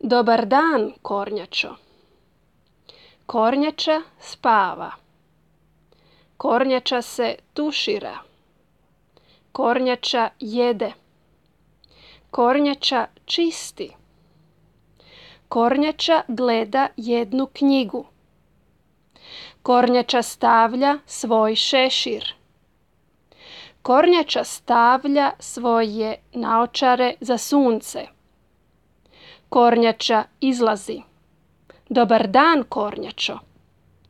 Dobar dan, Kornjačo. Kornjača spava. Kornjača se tušira. Kornjača jede. Kornjača čisti. Kornjača gleda jednu knjigu. Kornjača stavlja svoj šešir. Kornjača stavlja svoje naočare za sunce. Kornjača izlazi. Dobar dan, Kornjačo.